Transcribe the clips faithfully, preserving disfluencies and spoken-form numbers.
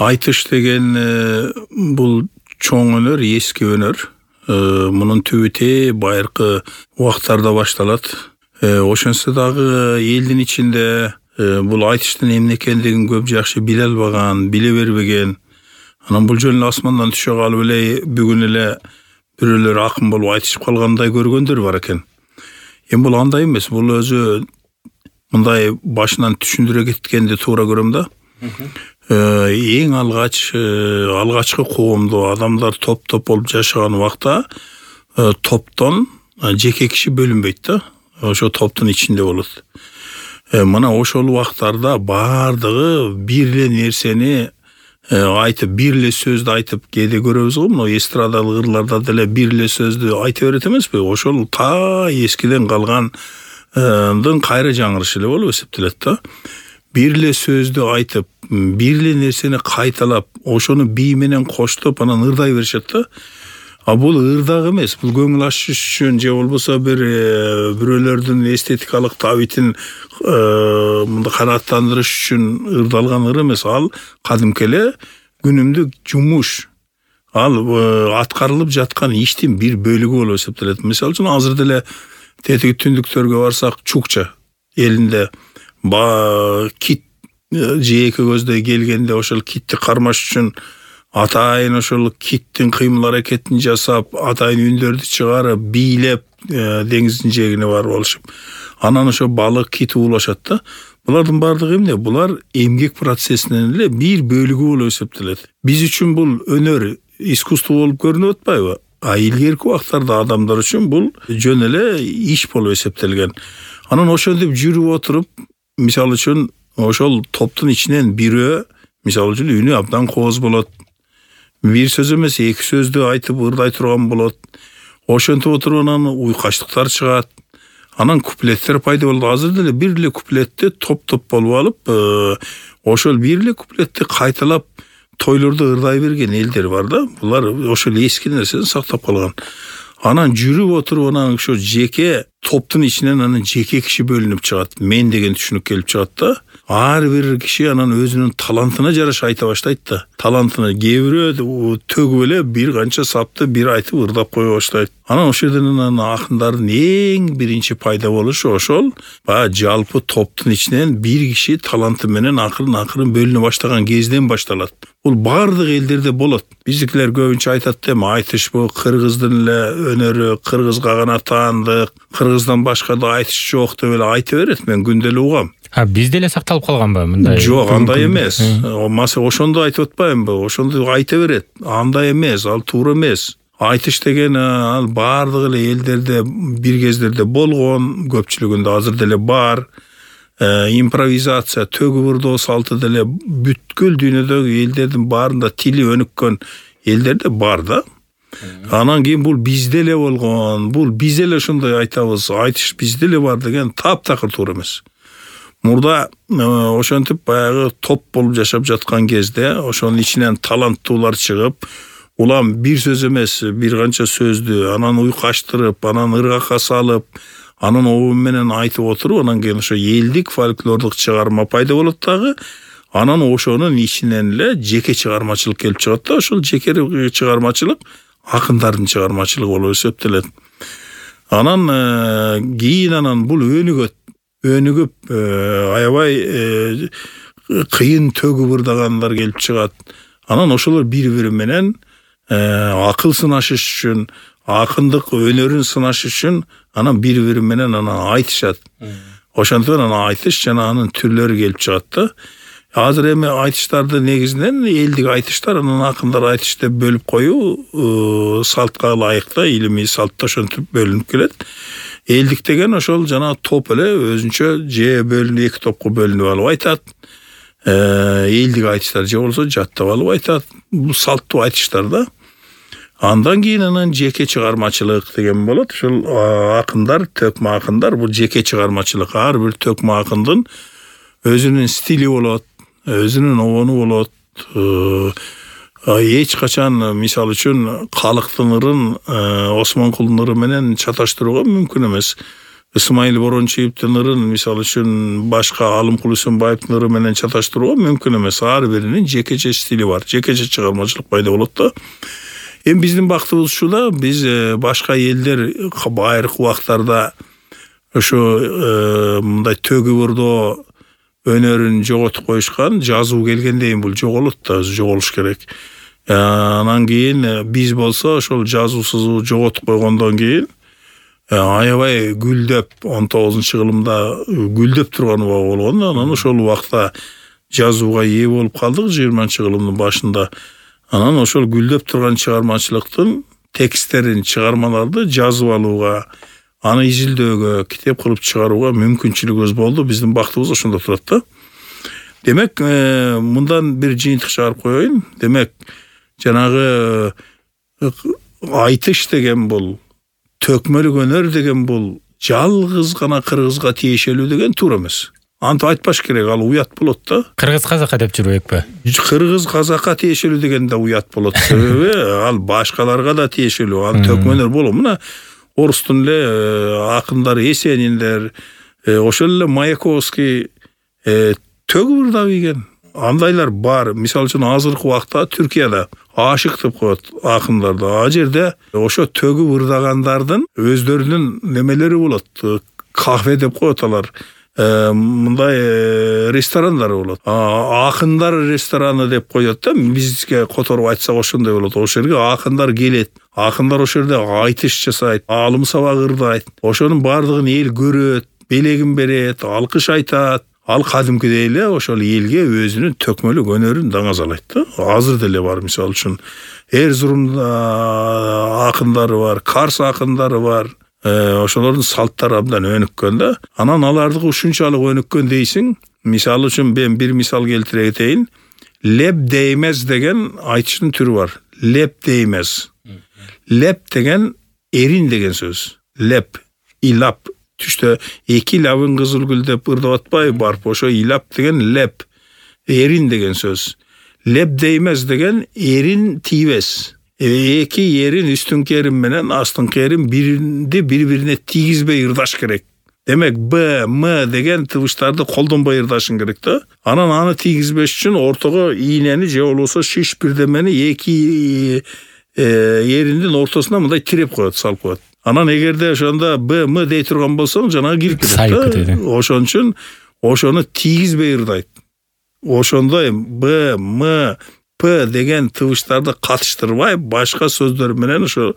Айтыш деген бул чоң өнөр, эски өнөр. Мунун түбү байыркы убактарда башталат. Ошонсо дагы элдин ичинде бул айтыштын эмне экендигин көп жакшы биле албаган, биле бербеген. Анан бул жөн асмандан түшө калып эле бүгүн эле бирөөлөр акын болуп айтышып калгандай көргөндөр бар экен. Эми бул андай эмес, бул өзү мындай башынан түшүндүрө кеткенди туура көрөм да. Эң алгач алгачкы коомдо адамдар топ-топ болуп жашаган убакта топтон жеке киши бөлүнбөйт да. Ошо топтун ичинде болот. Мына ошол убактарда бардыгы бир эле нерсени айтып, бир эле сөздү айтып кээде көрөбүз го, мына эстрадалык ырларда деле бир эле сөздү айта берет эмеспи? Ошол та эскиден калгандын кайра жаңырышы эле болуп эсептелет да. Бир эле сөздү айтып, бир эле нерсени кайталап, ошону бий менен коштоп анан ырдай беришет да. А бул ырдак эмес, бул көңүл ачыш үчүн же болбосо бир бирөөлөрдүн эстетикалык табитин мындай канааттандырыш үчүн ырдалган ыр эмес. Ал кадимки эле күнүмдүк жумуш. Ал аткарылып жаткан иштин бир бөлүгү болуп эсептелет. Мисалы үчүн азыр деле тетиги түндүктөргө барсак, чукча элинде ба кит жээки көздөй келгенде ошол китти кармаш үчүн атайын ошол киттин кыймыл аракетин жасап, атайын үндөрдү чыгарып, бийлеп деңиздин жээгине барып алышып. Анан ошо балык, кит уулашат да. Булардын бардыгы эмне? Булар эмгек процессинин эле бир бөлүгү болуп эсептелет. Биз үчүн бул өнөр, искусство болуп көрүнүп атпайбы? А илгерки убактарда адамдар үчүн бул жөн эле иш болуп эсептелген. Анан ошентип жүрүп отуруп, мисалы үчүн ошол топтун ичинен бирөө, мисалы үчүн үнү абдан кооз болот. Бир сөз эмес, эки сөздү айтып ырдай турган болот. Ошентип отуруп анан уйкаштыктар чыгат. Анан куплеттер пайда болот. Азыр деле бир эле куплетти топ-топ болуп алып, ошол бир эле куплетти кайталап тойлордо ырдай берген элдер бар да. Булар ошол эски нерсени сактап калган. Анан жүрүп отуруп анан ошо жеке топтун ичинен анан жеке киши бөлүнүп чыгат. Мен деген түшүнүк келип чыгат да. Ар бир киши анан өзүнүн талантына жараша айта баштайт да. Талантына кээ бирөө төгүп эле бир канча сапты бир айтып ырдап кое баштайт. Анан ошол жерден анан акындардын эң биринчи пайда болушу ошол баягы жалпы топтун ичинен бир киши таланты менен акырын-акырын бөлүнө баштаган кезден башталат. Бул бардык элдерде болот. Биздикилер көбүнчө айтат да, айтыш бул кыргыздын эле өнөрү, кыргызга гана таандык, кыргыздан башка да айтыш жок деп эле айта берет. Мен күндө эле угам. А бизде эле сакталып калганбы мындай? Жок, андай эмес. Маса ошондо айтып атпаймынбы? Ошондо айта берет. Андай эмес, ал туура эмес. Айтыш деген ал бардык эле элдерде бир кездерде болгон, көпчүлүгүндө азыр деле бар. Импровизация, төгүп ырдоо салты деле бүткүл дүйнөдөгү элдердин баарында тили өнүккөн элдерде бар да. Анан кийин бул бизде эле болгон, бул биз эле ошондой айтабыз, айтыш бизде эле бар деген таптакыр туура эмес. Мурда ошентип баягы топ болуп жашап жаткан кезде ошонун ичинен таланттуулар чыгып, улам бир сөз эмес, бир канча сөздү анан уйкаштырып, анан ыргакка салып, анан обун менен айтып отуруп, анан кийин ошо элдик фольклордук чыгарма пайда болот дагы. Анан ошонун ичинен эле жеке чыгармачылык келип чыгат да. Ошол жеке чыгармачылык акындардын чыгармачылыгы болуп эсептелет. Анан кийин анан бул өнүгөт. Өнүгүп аябай кыйын төгүп ырдагандар келип чыгат. Анан ошолор бири-бири менен акыл сынашыш үчүн, акындык өнөрүн сынашыш үчүн анан бири-бири менен анан айтышат. Ошентип анан айтыш жана анын түрлөрү келип чыгат да. Азыр эми айтыштарды негизинен элдик айтыштар, анан акындар айтыш деп бөлүп коюу салтка ылайык да, илимий салтта ошентип бөлүнүп келет. Элдик деген ошол жана топ эле өзүнчө же бөлүнүп эки топко бөлүнүп алып айтат. Элдик айтыштар же болсо жаттап алып айтат. Бул салттуу айтыштар да. Андан кийин анан жеке чыгармачылык деген болот. Ошол акындар, төкмө акындар, бул жеке чыгармачылык. Ар бир төкмө акындын өзүнүн стили болот, өзүнүн обону болот. Эч качан мисалы үчүн калктын ырын Осмонкулдун ыры менен чаташтырууга мүмкүн эмес. Ысмайыл Борончиевдин ырын мисалы үчүн башка Алымкул Үсөнбаевдин ыры менен чаташтырууга мүмкүн эмес. Ар биринин жекече стили бар, жекече чыгармачылык пайда болот да. Эми биздин бактыбыз ушул да, биз башка элдер байыркы убактарда ошо мындай төгү бурдоо өнөрүн жоготуп коюшкан, жазуу келгенден кийин бул жоголот да, жоголуш керек. Анан кийин биз болсо ошол жазуусу жоготуп койгондон кийин аябай гүлдөп он тогузунчу кылымда гүлдөп турган убак болгон. Анан ошол убакта жазууга ээ болуп калдык жыйырманчы кылымдын башында. Анан ошол гүлдөп турган чыгармачылыктын тексттерин, чыгармаларды жазып алууга, аны изилдөөгө, китеп кылып чыгарууга мүмкүнчүлүгүбүз болду. Биздин бактыбыз ошондо турат да. Демек, мындан бир жыйынтык чыгарып коеюн. Демек, жанагы айтыш деген бул, төкмөлүк өнөр деген бул жалгыз гана кыргызга тиешелүү деген туура эмес. Антип айтпаш керек, ал уят болот да. Кыргыз казакка деп жүрбөкпү? Кыргыз казакка тиешелүү деген да уят болот. Себеби ал башкаларга да тиешелүү, ал төкмөнөр болот. Мына орустун эле акындар Есениндер, ошол эле Маяковский төгү бурда кийген. Андайлар бар. Мисалы үчүн азыркы убакта Түркияда ашык деп коет акындарды. А жерде ошо төгү бурдагандардын өздөрүнүн немелери болот. Кафе деп коет алар. Мындай ресторандары болот. Акындар рестораны деп коет да. Бизге которуп айтсак ошондой болот. Ошол жерге акындар келет. Акындар ошол жерде айтыш жасайт, алым сабак ырдайт. Ошонун бардыгын эл көрөт, белегин берет, алкыш айтат. Ал кадимкидей эле ошол элге өзүнүн төкмөлүк өнөрүн даңазалайт да. Азыр деле бар, мисалы үчүн Эрзурум акындары бар, Карс акындары бар. Ошолордун салттары абдан өнүккөн да. Анан алардыгы ушунчалык өнүккөн дейсиң. Мисалы үчүн мен бир мисал келтире кетейин. Леп деймез деген айтыштын түрү бар. Леп деймез. Леп деген эрин деген сөз. Леп, илап. Түштө эки лабын кызыл гүл деп ырдап атпай барып, ошо илап деген леп, эрин деген сөз. Леп деймез деген эрин тийбес. Эки эрин үстүнкү эрин менен астыңкы эрин биринди бири-бирине тийгизбей ырдаш керек. Демек Б, М деген тыбыштарды колдонбой ырдашың керек да. Анан аны тийгизбеш үчүн ортого ийнени же болбосо шиш бирдемени эки эриндин ортосуна мындай тиреп коет, салып коет. Анан эгерде ошондо Б, М дей турган болсоң, жанагы кирип кетет да. Ошон үчүн ошону тийгизбей ырдайт. Ошондой Б, М, П деген тыбыштарды катыштырбай, башка сөздөр менен ошо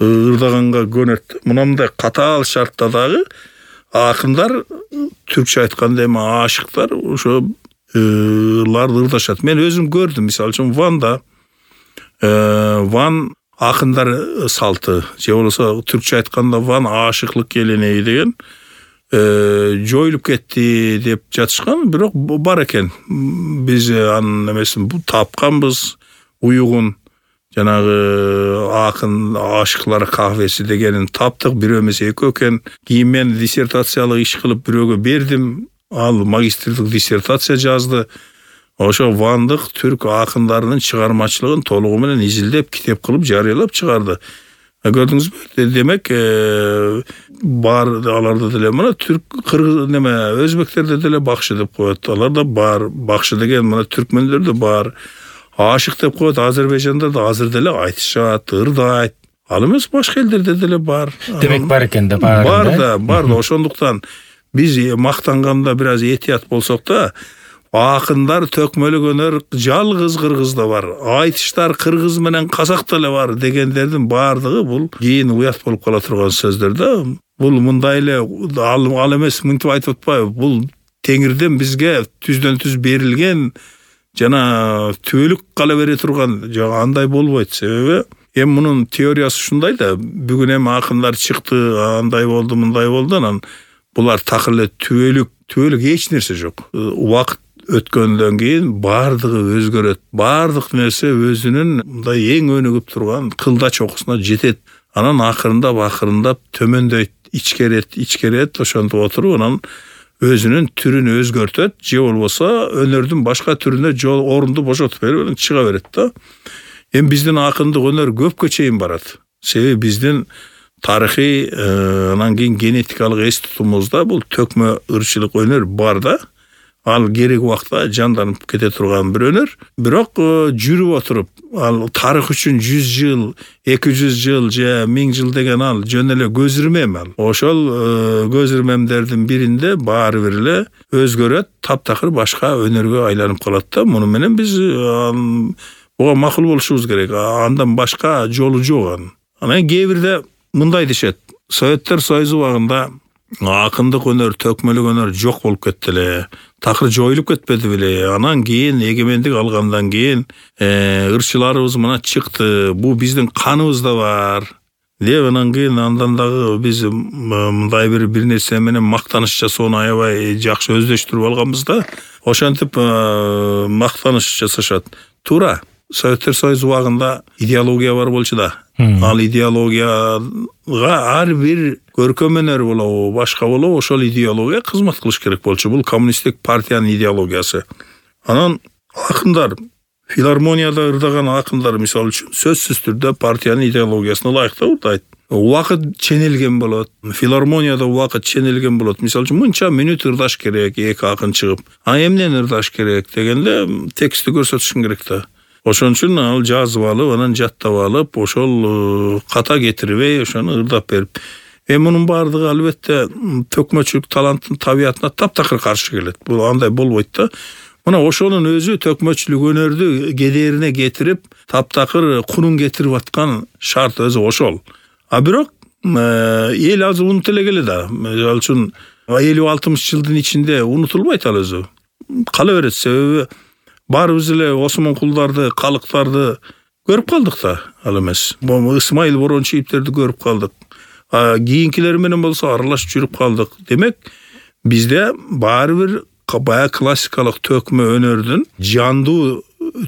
ырдаганга көнөт. Мындай катаал шартта дагы акындар, түркчө айтканда эми ашыктар ошо ларды ырдашат. Мен өзүм көрдүм, мисалы үчүн Ванда, Ван акындар салты, же болбосо түркчө айтканда Ван ашыклык келенеги деген жоюлуп кетти деп жатышкан, бирок бар экен. Биз анын эмесин тапканбыз, уюгун, жанагы акын ашыклар кафеси дегенин таптык, бирөө эмес экөө экен. Кийин мен диссертациялык иш кылып бирөөгө бердим, ал магистрлик диссертация жазды. Ошо Вандык түрк акындарынын чыгармачылыгын толугу менен изилдеп, китеп кылып жарыялап чыгарды. Көрдүңүзбү? Демек, бар аларда деле мына түрк, кыргыз неме, өзбектерде деле бакшы деп коет. Алар да бар. Бакшы деген мына түркмөндөрдө бар. Ашык деп коет. Азербайжанда да азыр деле айтышат, ырдайт. Ал эмес башка элдерде деле бар. Демек бар экен да, бар. Бар да, бар да. Ошондуктан биз мактанганда бир аз этият болсок да, акындар төкмөлүк өнөр жалгыз кыргызда бар. Айтыштар кыргыз менен казакта эле бар дегендердин бардыгы бул кийин уят болуп кала турган сөздөр да. Бул мындай эле ал эмес, мынтип айтып атпайбы? Бул Теңирден бизге түздөн түз берилген жана түбөлүк кала бере турган, жок андай болбойт. Себеби эми мунун теориясы ушундай да. Бүгүн эми акындар чыкты, андай болду, мындай болду, анан булар так эле түбөлүк, түбөлүк эч нерсе жок. Убакыт өткөндөн кийин бардыгы өзгөрөт. Бардык нерсе өзүнүн мындай эң өнүгүп турган кылда чокусуна жетет. Анан акырындап акырындап төмөндөйт, ичкерет, ичкерет, ошентип отуруп анан өзүнүн түрүн өзгөртөт, же болбосо өнөрдүн башка түрүнө жол орунду бошотуп берип чыга берет да. Эми биздин акындык өнөр көпкө чейин барат. Себеби биздин тарыхый анан кийин генетикалык эс тутумубузда бул төкмө ырчылык өнөр бар да. Ал керек убакта жанданып кете турган бир өнөр. Бирок жүрүп отуруп, ал тарых үчүн жүз жыл, эки жүз жыл же миң жыл деген ал жөн эле көз ирмем ал. Ошол көз ирмемдердин биринде баары бир эле өзгөрөт, таптакыр башка өнөргө айланып калат да. Муну менен биз буга макул болушубуз керек. Андан башка жолу жок анын. Анан кээ бирде мындай дешет. Советтер Союзу убагында акындык өнөр, төкмөлүк өнөр жок болуп кетти эле. Такыр жоюлуп кетпеди беле. Анан кийин эгемендик алгандан кийин ырчыларыбыз мына чыкты. Бул биздин каныбызда бар. Деп анан кийин андан дагы биз мындай бир бир нерсе менен мактаныш жасоону аябай жакшы өздөштүрүп алганбыз да. Ошентип мактаныш жасашат. Туура. Советтер Союзу убагында идеология бар болчу да. Ал идеологияга ар бир көркөм өнөр болобу, башка болобу, ошол идеология кызмат кылыш керек болчу. Бул коммунисттик партиянын идеологиясы. Анан акындар, филармонияда ырдаган акындар мисалы үчүн сөзсүз түрдө партиянын идеологиясына ылайыктуу ырдайт. Убакыт ченелген болот. Филармонияда убакыт ченелген болот. Мисалы үчүн мынча мүнөт ырдаш керек, эки акын чыгып. А эмнени ырдаш керек дегенде текстти көрсөтүшүң керек да. Ошон үчүн ал жазып алып, анан жаттап алып, ошол ката кетирбей, ошону ырдап берип. Эми мунун бардыгы албетте төкмөчүлүк таланттын табиятына таптакыр каршы келет. Бул андай болбойт да. Мына ошонун өзү төкмөчүлүк өнөрдү кедерине кетирип, таптакыр кунун кетирип аткан шарт өзү ошол. А бирок эл азыр унутуп эле келе да. Мисалы үчүн элүү алтымыш жылдын ичинде унутулбайт ал өзү. Кала берет, себеби баарыбыз эле Осмонкулдарды, калыктарды көрүп калдык да, ал эмес. Ысмайыл Борончиевтерди көрүп калдык. А кийинкилер менен болсо аралашып жүрүп калдык. Демек, бизде баары бир баягы классикалык төкмө өнөрдүн жандуу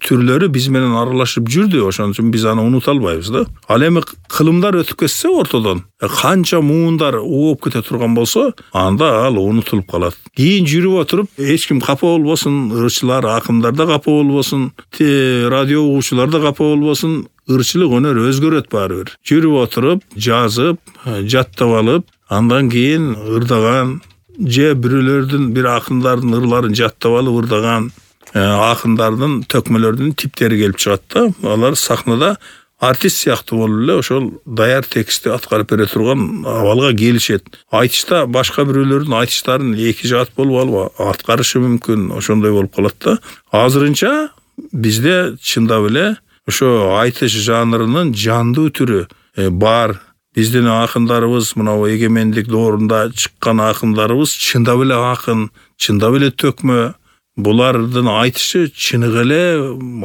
түрлөрү биз менен аралашып жүрдү. Ошон үчүн биз аны унута албайбыз да. Ал эми кылымдар өтүп кетсе ортодон, канча муундар ооп кете турган болсо, анда ал унутулуп калат. Кийин жүрүп отуруп, эч ким капа болбосун, ырчылар, акындар да капа болбосун, радио угуучулар да капа болбосун, ырчылык өнөр өзгөрөт баары бир. Жүрүп отуруп, жазып, жаттап алып, андан кийин ырдаган же бирөөлөрдүн, бир акындардын ырларын жаттап алып ырдаган акындардын төкмөлөрдүн типтери келип чыгат да. Алар сахнада артист сыяктуу болуп эле ошол даяр текстти аткарып бере турган абалга келишет. Айтышта башка бирөөлөрдүн айтыштарын эки жаат болуп алып аткарышы мүмкүн, ошондой болуп калат да. Азырынча бизде чындап эле ошо айтыш жанрынын жандуу түрү бар. Биздин акындарыбыз, мына эгемендик доорунда чыккан акындарыбыз чындап эле акын, чындап эле төкмө. Булардын айтышы чыныгы эле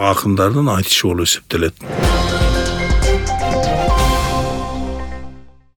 акындардын айтышы болуп эсептелет.